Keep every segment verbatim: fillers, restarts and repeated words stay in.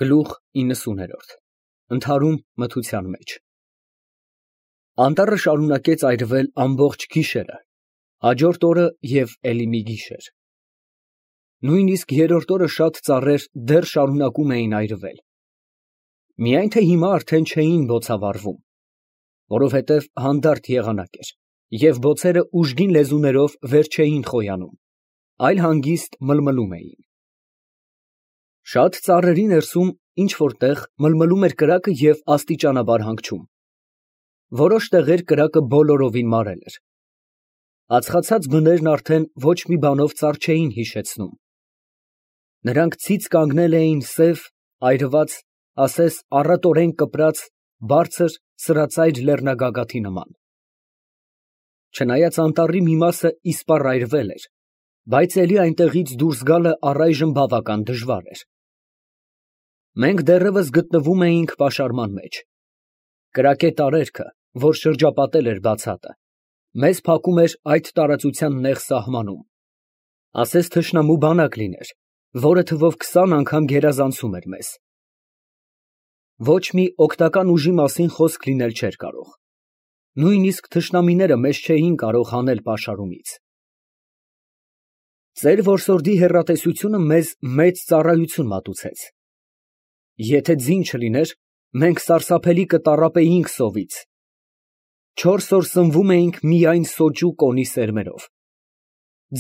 Գլուխ իննսուներորդ ԸՆԴԱՐՈՒՄ մթության մեջ Անտառը շարունակեց այրվել ամբողջ գիշերը, հաջորդ օրը և էլի մի գիշեր. Նույնիսկ երրորդ օրը շատ ծառեր դեռ շարունակում էին այրվել, միայն թե հիմա արդեն չէին բոցավառվում, որովհետև հանդարտ եղանակ էր, և բոցերը ուժգին լեզուներով վեր չէին խոյանում, այլ հանգիստ մլմլում էին. Շատ ծառերի ներսում ինչ֊որ տեղ մլմլում էր կրակը և աստիճանաբար հանգչում, որոշ տեղեր կրակը բոլորովին մարել էր, ածխացած բներն արդեն ոչ մի բանով ծառ չէին հիշեցնում, նրանք ցից կանգնել էին սև, այրված, ասես առատորեն կպրած, բարձր, սրածայր լեռնագագաթի նման. Չնայած անտառի մի մասը իսպառ այրվել էր, բայց էլի այնտեղից դուրս գալը առայժմ բավական դժվար էր. Մենք դեռևս գտնվում էինք պաշարման մեջ, կրակե տարերքը, որ շրջապատել էր բացատը, մեզ փակում էր այդ տարածության նեղ սահմանում, ասես թշնամու բանակ լիներ, որը թվով քսան անգամ գերազանցում էր մեզ. Ոչ մի օգնական ուժի մասին խոսք լինել չէր կարող, նույնիսկ թշնամիները մեզ չէին կարող հանել պաշարումից. Ծեր որսորդի հեռատեսությունը մեզ մեծ ծառայություն մատուցեց. Եթե ձին չլիներ, մենք սարսափելի կտառապեինք սովից, չորս օր սնվում էինք միայն սոճու կոնի սերմերով,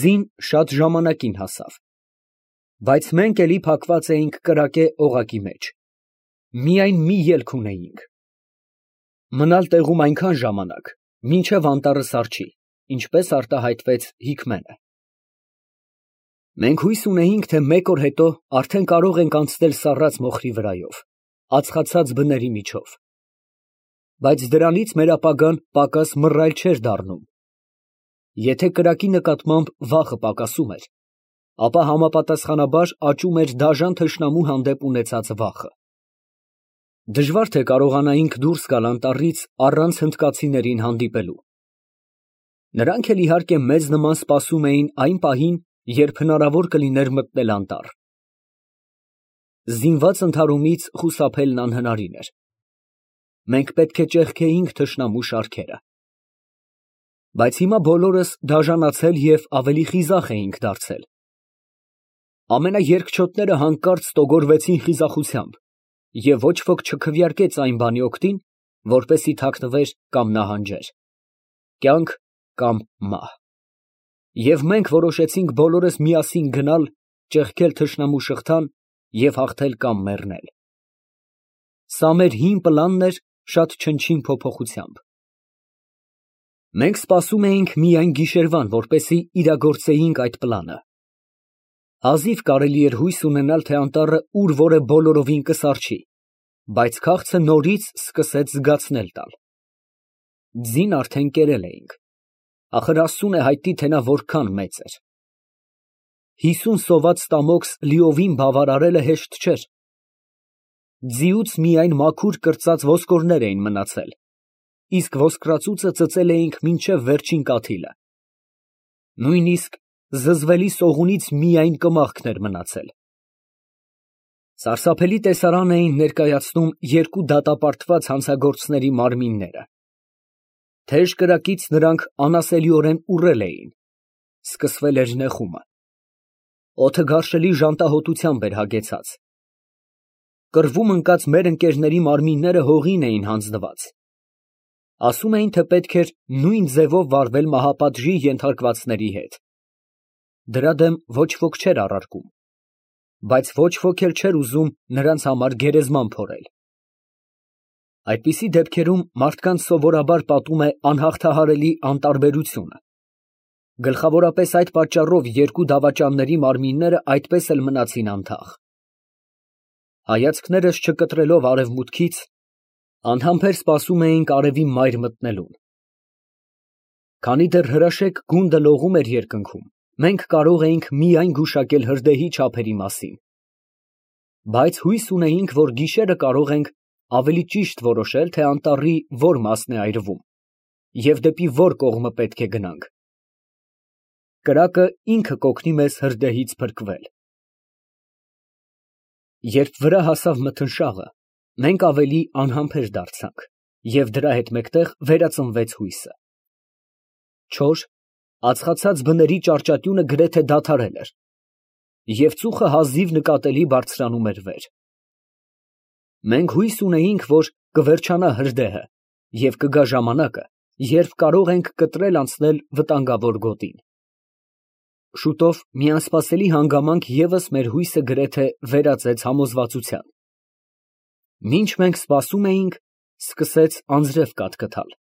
ձին շատ ժամանակին հասավ, բայց մենք էլի փակված էինք կրակե օղակի մեջ, միայն մի ելք ունեինք, մնալ տեղում այնքան ժամանակ, մինչև անտառը սառչի, ինչպես արտահայտվեց Հիկմենը. Մենք հույս ունեինք, թե մեկ օր հետո արդեն կարող ենք անցնել սառած մոխրի վրայով, ածխացած բների միջով, բայց դրանից մեր ապագան պակաս մռայլ չէր դառնում. եթե կրակի նկատմամբ վախը պակասում էր, ապա համապատասխանաբար աճում էր դաժան թշնամու հանդեպ ունեցած վախը. դժվար թե կարողանայինք դուրս գալ անտառից առանց հնդկացիներին հանդիպելու. նրանք էլ իհարկե մեզ նման սպասում էին այն պահին, երբ հնարավոր կլիներ մտնել անտառ. Զինված ընդհարումից խուսափելն անհնարին էր, մենք պետք է ճեղքեինք թշնամու շարքերը, բայց հիմա բոլորս դաժանացել և ավելի խիզախ էինք դարձել, ամենաերգչոտները հանկարծ ստոգորվեցին խիզախությամբ, և ոչ ոք չքվեարկեց այն բանի օգտին, որպեսզի թաքնվեր կամ նահանջեր, կյանք կամ մահ, և մենք որոշեցինք բոլորս միասին գնալ, ճեղքել թշնամու շղթան և հաղթել կամ մեռնել. սա մեր հին պլանն էր շատ չնչին փոփոխությամբ. Մենք սպասում էինք միայն գիշերվան, որպեսզի իրագործեինք այդ պլանը. հազիվ կարելի էր հույս ունենալ, թե անտառը ուր որ է բոլորովին կսառչի, բայց քաղցը նորից սկսեց զգացնել տալ. ձին արդեն կերել էինք, ախր Աստծուն է հայտնի, թե նա որքան մեծ էր. հիսուն սոված ստամոքս լիովին բավարարելը հեշտ չէր, ձիուց միայն մաքուր կրծած ոսկորներ էին մնացել, իսկ ոսկրածուծը ծծել էինք մինչև վերջին կաթիլը, նույնիսկ զզվելի սողունից միայն կմախքն էր մնացել. Սարսափելի տեսարան էին ներկայացնում երկու դատապարտված հանցագործների մարմինները, թեժ կրակից նրանք անասելիորեն ուռել էին, սկսվել էր նեխումը, օդը գարշելի ժանտահոտությամբ էր հագեցած, կռվում ընկած մեր ընկերների մարմինները հողին էին հանձնված, ասում էին, թե պետք էր նույն ձևով վարվել մահապատժի ենթարկվածների հետ, դրա դեմ ոչ ոք չէր առարկում, բայց ոչ ոք էլ չէր ուզում նրանց համար գերեզման փորել. Այդպիսի դեպքերում մարդկանց սովորաբար պատում է անհաղթահարելի անտարբերությունը, գլխավորապես այդ պատճառով երկու դավաճանների մարմինները այդպես էլ մնացին անթաղ. հայացքներս չկտրելով արևմուտքից, անհամբեր սպասում էինք արևի մայր մտնելուն, քանի դեռ հրաշեկ գունդը լողում էր երկնքում, մենք կարող էինք միայն գուշակել հրդեհի չափերի մասին, բայց հույս ունեինք, որ գիշերը կարող ենք ավելի ճիշտ որոշել, թե անտառի որ մասն է այրվում և դեպի որ կողմը պետք է գնանք. կրակը ինքը կօգնի մեզ հրդեհից փրկվել: Երբ վրա հասավ մթնշաղը, մենք ավելի անհամբեր դարձանք, և դրա հետ մեկտեղ վերածնվեց հույսը։ Չոր, ածխացած բների ճարճատյունը գրեթե դադարել էր, և ծուխը հազիվ նկատելի բարձրանում էր վեր։ Մենք հույս ունեինք, որ կվերջանա հրդեհը և կգա ժամանակը, երբ կարող ենք կտրել անցնել վտանգավոր գոտին։ Շուտով մի անսպասելի հանգամանք ևս մեր հույսը գրեթե վերածեց համոզվածության։ Մինչ մենք սպասում էինք, սկսեց անձրև կաթկթալ։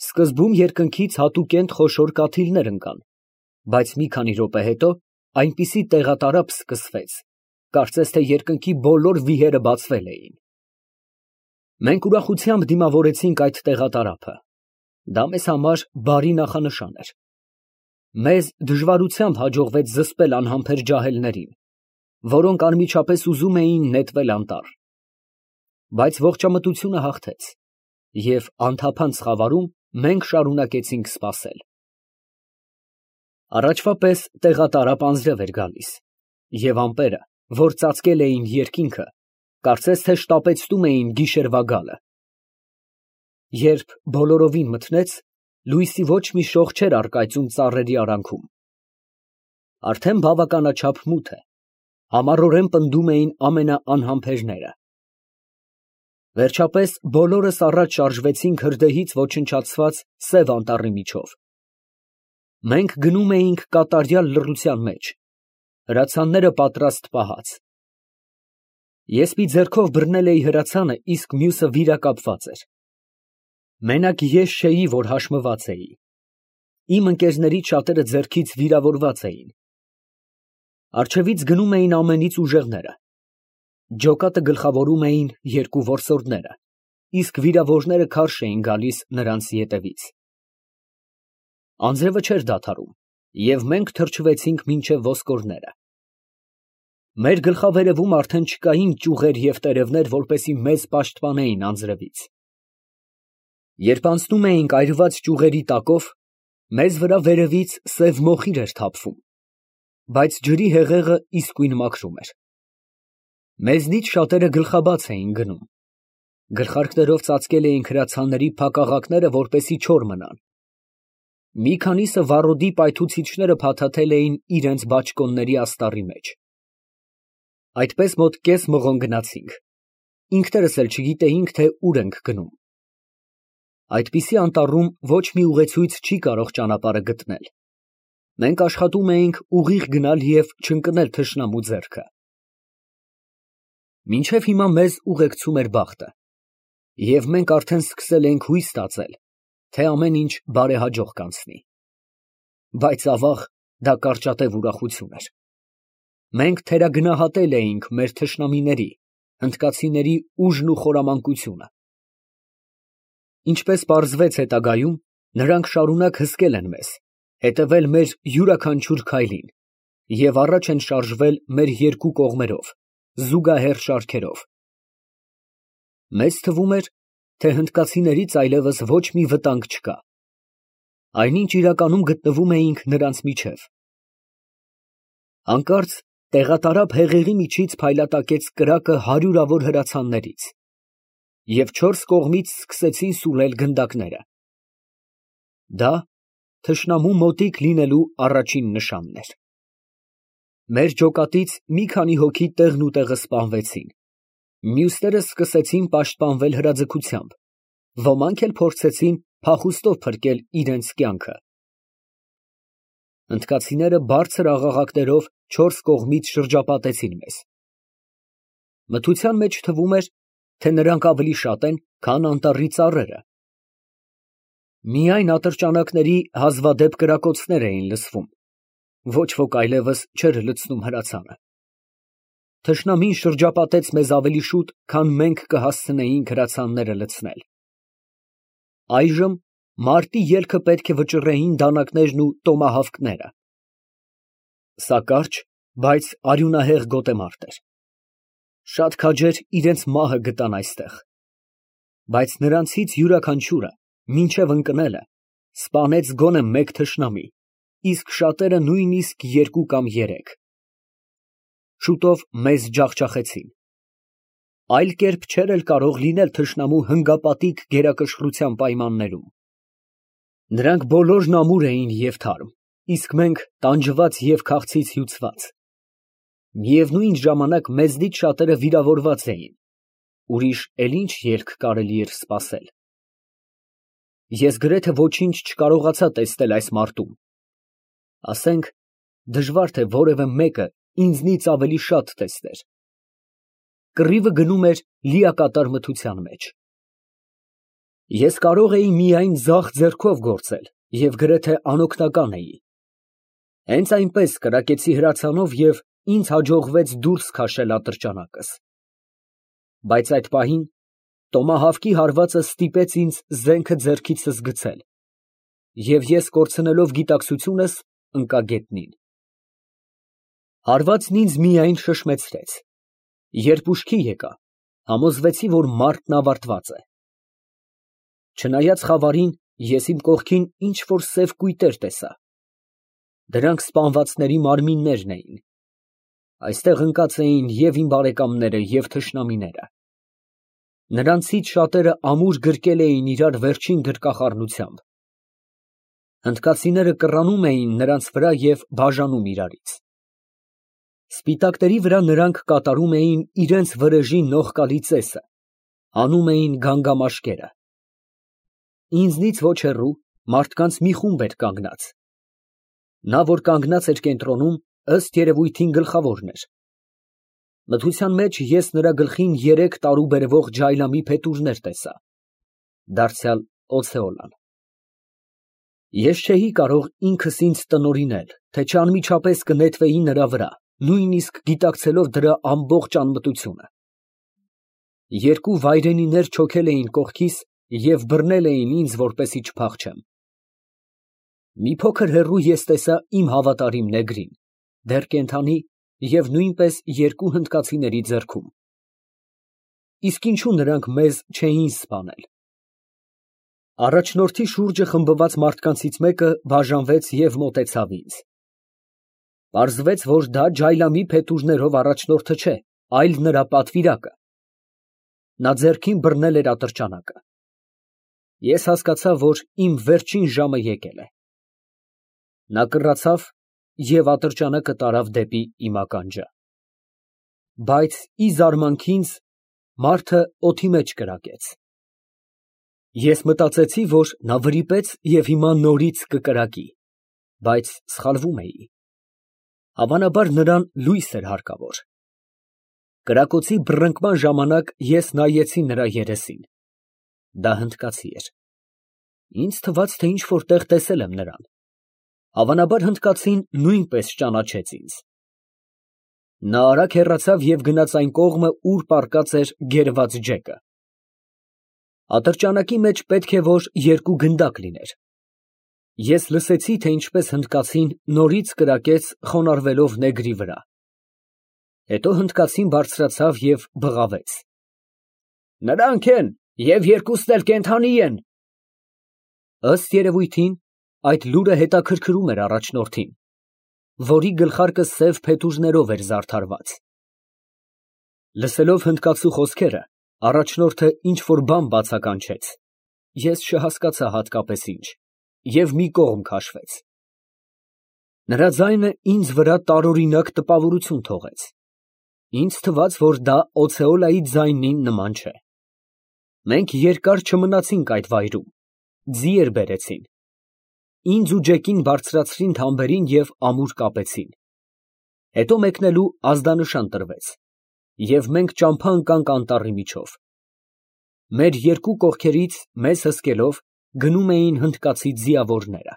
Սկզբում երկնքից հատուկենտ խոշոր կաթիլներ ընկան, բայց մի քանի րոպե հետո այնպիսի տեղատարափ սկսվեց, կարծես թե երկնքի բոլոր վիհերը բացվել էին։ Մենք ուրախությամբ դիմավորեցինք այդ տեղատարափը, դա մեզ համար բարի նախանշան էր։ Մեզ դժվարությամբ հաջողվեց զսպել անհամբեր ջահելներին, որոնք անմիջապես ուզում էին նետվել անտառ։ Բայց ողջամտությունը հաղթեց, և անթափանց խավարում մենք շարունակեցինք սպասել։ Առաջվա պես տեղատարափ անձրև էր գալիս, և ամպերը, որ ծածկել էին երկինքը, կարծես թե շտապեցնում էին գիշերվա գալը։ Երբ բոլորովին մթնեց, լույսի ոչ մի շող չէր առկայծում ծառերի արանքում։ Արդեն բավականաչափ մութ է, համառորեն պնդում էին ամենաանհամբերները։ Վերջապես բոլորս առաջ շարժվեցինք հրդեհից ոչնչացված Սև Անտառի միջով։ Մենք գնում էինք կատարյալ լռության մեջ, հրացանները պատրաստ պահած։ Ես մի ձեռքով բռնել էի հրացանը, իսկ մյուսը վիրակապված էր։ Մենակ ես չէի, որ հաշմված էի։ Իմ ընկերներից շատերը ձեռքից վիրավորված էին։ Առջևից գնում էին ամենից ուժեղները։ Ջոկատը գլխավորում էին երկու որսորդները, իսկ վիրավորները քարշ էին գալիս նրանց ետևից։ Անձրևը չէր դադարում, և մենք թրջվեցինք մինչև ոսկորները։ Մեր գլխավերևում արդեն չկային ճյուղեր և տերևներ, որպեսզի մեզ պաշտպանեին անձրևից։ Երբ անցնում էինք այրված ճյուղերի տակով, մեզ վրա վերևից սև մոխիր էր թափվում, բայց ջրի հեղեղը իսկույն մաքրում էր։ Մեզնից շատերը գլխաբաց էին գնում։ Գլխարկներով ծածկել էինք հրացանների փակաղակները, որպեսզի չոր մնան։ Մի քանիսը վառոդի պայթուցիչները փաթաթել էին իրենց բաճկոնների աստառի մեջ։ Այդպես մոտ կես մղոն գնացինք։ Ինքներս էլ չգիտեինք, թե ուր ենք գնում։ Այդպիսի անտառում ոչ մի ուղեցույց չի կարող ճանապարհը գտնել։ Մենք աշխատում էինք ուղիղ գնալ և չընկնել թշնամու ձեռքը։ Մինչև հիմա մեզ ուղեկցում էր բախտը, և մենք արդեն սկսել էինք հույս ստացել, թե ամեն ինչ բարեհաջող կանցնի։ Բայց, ավաղ, դա կարճատև ուրախություն էր։ Մենք թերագնահատել էինք մեր թշնամիների, հնդկացիների ուժն ու խորամանկությունը։ Ինչպես պարզվեց հետագայում, նրանք շարունակ հսկել են մեզ, հետևել մեր յուրաքանչյուր քայլին և առաջ են շարժվել մեր երկու կողմերով, զուգահեռ շարքերով։ Մեզ թվում էր, թե հնդկացիներից այլևս ոչ մի վտանգ չկա։ Այնինչ իրականում գտնվում էինք նրանց միջև։ Հանկարծ տեղատարափ հեղեղի միջից փայլատակեց կրակը հարյուրավոր հրացաններից, և չորս կողմից սկսեցին սուլել գնդակները։ Դա թշնամու մոտիկ լինելու առաջին նշանն էր։ Մեր ջոկատից մի քանի հոգի տեղնուտեղը սպանվեցին, մյուսները սկսեցին պաշտպանվել հրաձգությամբ, ոմանք էլ փորձեցին փախուստով փրկել իրենց կյանքը։ Հնդկացիները բարձր աղաղակներով չորս կողմից շրջապատեցին մեզ։ Մթության մեջ թվում էր, թե նրանք ավելի շատ են, քան անտառի ծառերը։ Միայն ատրճանակների հազվադեպ կրակոցներ էին լսվում, ոչ ոք այլևս չէր լցնում հրացանը։ Թշնամին շրջապատեց մեզ ավելի շուտ, քան մենք կհասցնեինք հրացանները լցնել։ Այժմ մարտի ելքը պետք է վճռեին դանակներն ու տոմահավքները։ Սա կարճ, բայց արյունահեղ գոտեմարտ էր։ Շատ քաջեր իրենց մահը գտան այստեղ։ Բայց նրանցից յուրաքանչյուրը, մինչև ընկնելը, սպանեց գոնե մեկ թշնամի, իսկ շատերը նույնիսկ երկու կամ երեք։ շուտով մեզ ջախջախեցին։ Այլ կերպ չէր էլ կարող լինել թշնամու հնգապատիկ գերակշռության պայմաններում։ Նրանք բոլորն ամուր էին և թարմ, իսկ մենք տանջված և քաղցից հյուծված։ Միևնույն ժամանակ մեզնից շատերը վիրավորված էին, ուրիշ էլ ինչ ելք կարելի էր սպասել։ Ես գրեթե ոչինչ չկարողացա տեսնել այս մարտում, ասենք, դժվար թե որևէ մեկը ինձնից ավելի շատ տեսներ։ Կռիվը գնում էր լիակատար մթության մեջ։ Ես կարող էի միայն ձախ ձեռքով գործել և գրեթե անօգնական էի։ Հենց այնպես կրակեցի հրացանով և ինձ հաջողվեց դուրս քաշել ատրճանակս։ Բայց այդ պահին տոմահավկի հարվածը ստիպեց ինձ զենքը ձեռքիցս գցել, և ես կորցնելով գիտակցությունս, ընկա գետնին։ Հարվածն ինձ միայն շշմեցրեց։ Երբ ուշքի եկա, համոզվեցի, որ մարտն ավարտված է։ Չնայած խավարին, ես իմ կողքին ինչ֊որ սև կույտեր տեսա։ Դրանք սպանվածների մարմիններն էին։ Այստեղ ընկած էին և իմ բարեկամները, և թշնամիները։ Նրանցից շատերը ամուր գրկել էին իրար վերջին գրկախառնությամբ։ Հնդկացիները կռանում էին նրանց վրա և բաժանում իրարից։ Սպիտակների վրա նրանք կատարում էին իրենց վրեժի նողկալի ծեսը, հանում էին գանգամաշկերը։ Ինձնից ոչ հեռու մարդկանց մի խումբ էր կանգնած։ Նա, որ կանգնած էր կենտրոնում, ըստ երևույթին գլխավորն էր։ Մթության մեջ ես նրա գլխին երեք տարուբերվող ջայլամի փետուրներ տեսա, դարձյալ օցեոլան։ Ես չէի կարող ինքս ինձ տնօրինել, թե չանմիջապես կնետվեի նրա վրա, նույնիսկ գիտակցելով դրա ամբողջ անմտությունը։ Երկու վայրենիներ չոքել էին կողքիս և բռնել էին ինձ, որպեսզի չփախչեմ։ Մի փոքր հեռու ես տեսա իմ հավատարիմ նեգրին, դեռ կենդանի և նույնպես երկու հնդկացիների ձեռքում։ Իսկ ինչո՞ւ նրանք մեզ չէին սպանել։ Առաջնորդի շուրջը խմբված մարդկանցից մեկը բաժանվեց և մոտեցավ ինձ։ Պարզվեց, որ դա ջայլամի փետուրներով առաջնորդը չէ, այլ նրա պատվիրակը։ Նա ձեռքին բռնել էր ատրճանակը։ Ես հասկացա, որ իմ վերջին ժամը եկել է։ Նա կռացավ և ատրճանակը տարավ դեպի իմ ականջը։ Բայց, ի զարմանքինս, մարդը օդի մեջ կրակեց։ Ես մտածեցի, որ նա վրիպեց և հիմա նորից կկրակի, բայց սխալվում էի։ Հավանաբար նրան լույս էր հարկավոր։ Կրակոցի բռնկման ժամանակ ես նայեցի նրա երեսին։ Դա հնդկացի էր։ Ինձ թվաց, թե ինչ֊որ տեղ տեսել եմ նրան։ Հավանաբար հնդկացին նույնպես ճանաչեց ինձ։ Նա արագ հեռացավ և գնաց այն կողմը, ուր պառկած էր գերված ջեկը։ Ատրճանակի մեջ պետք է որ երկու գնդակ լիներ։ Ես լսեցի, թե ինչպես հնդկացին նորից կրակեց խոնարհվելով նեգրի վրա։ Հետո հնդկացին բարձրացավ և բղավեց. «Նրանք են և երկուսն էլ կենդանի են»։ Ըստ երևույթին, այդ լուրը հետաքրքրում էր առաջնորդին, որի գլխարկը սև փետուրներով էր զարդարված։ Լսելով հնդկացու խոսքերը, առաջնորդը ինչ֊որ բան բացականչեց, ես չհասկացա հատկապես ինչ, և մի կողմ քաշվեց։ Նրա ձայնը ինձ վրա տարօրինակ տպավորություն թողեց։ Ինձ թվաց, որ դա օցեոլայի ձայնին նման չէ։ Մենք երկար չմնացինք այդ վայրում, ձիեր բերեցին։ Ինձ ու ջեկին բարձրացրին թամբերին և ամուր կապեցին։ Հետո մեկնելու ազդանշան տրվեց, և մենք ճամփա ընկանք անտառի միջով։ Մեր երկու կողքերից, մեզ հսկելով, գնում էին հնդկացի ձիավորները։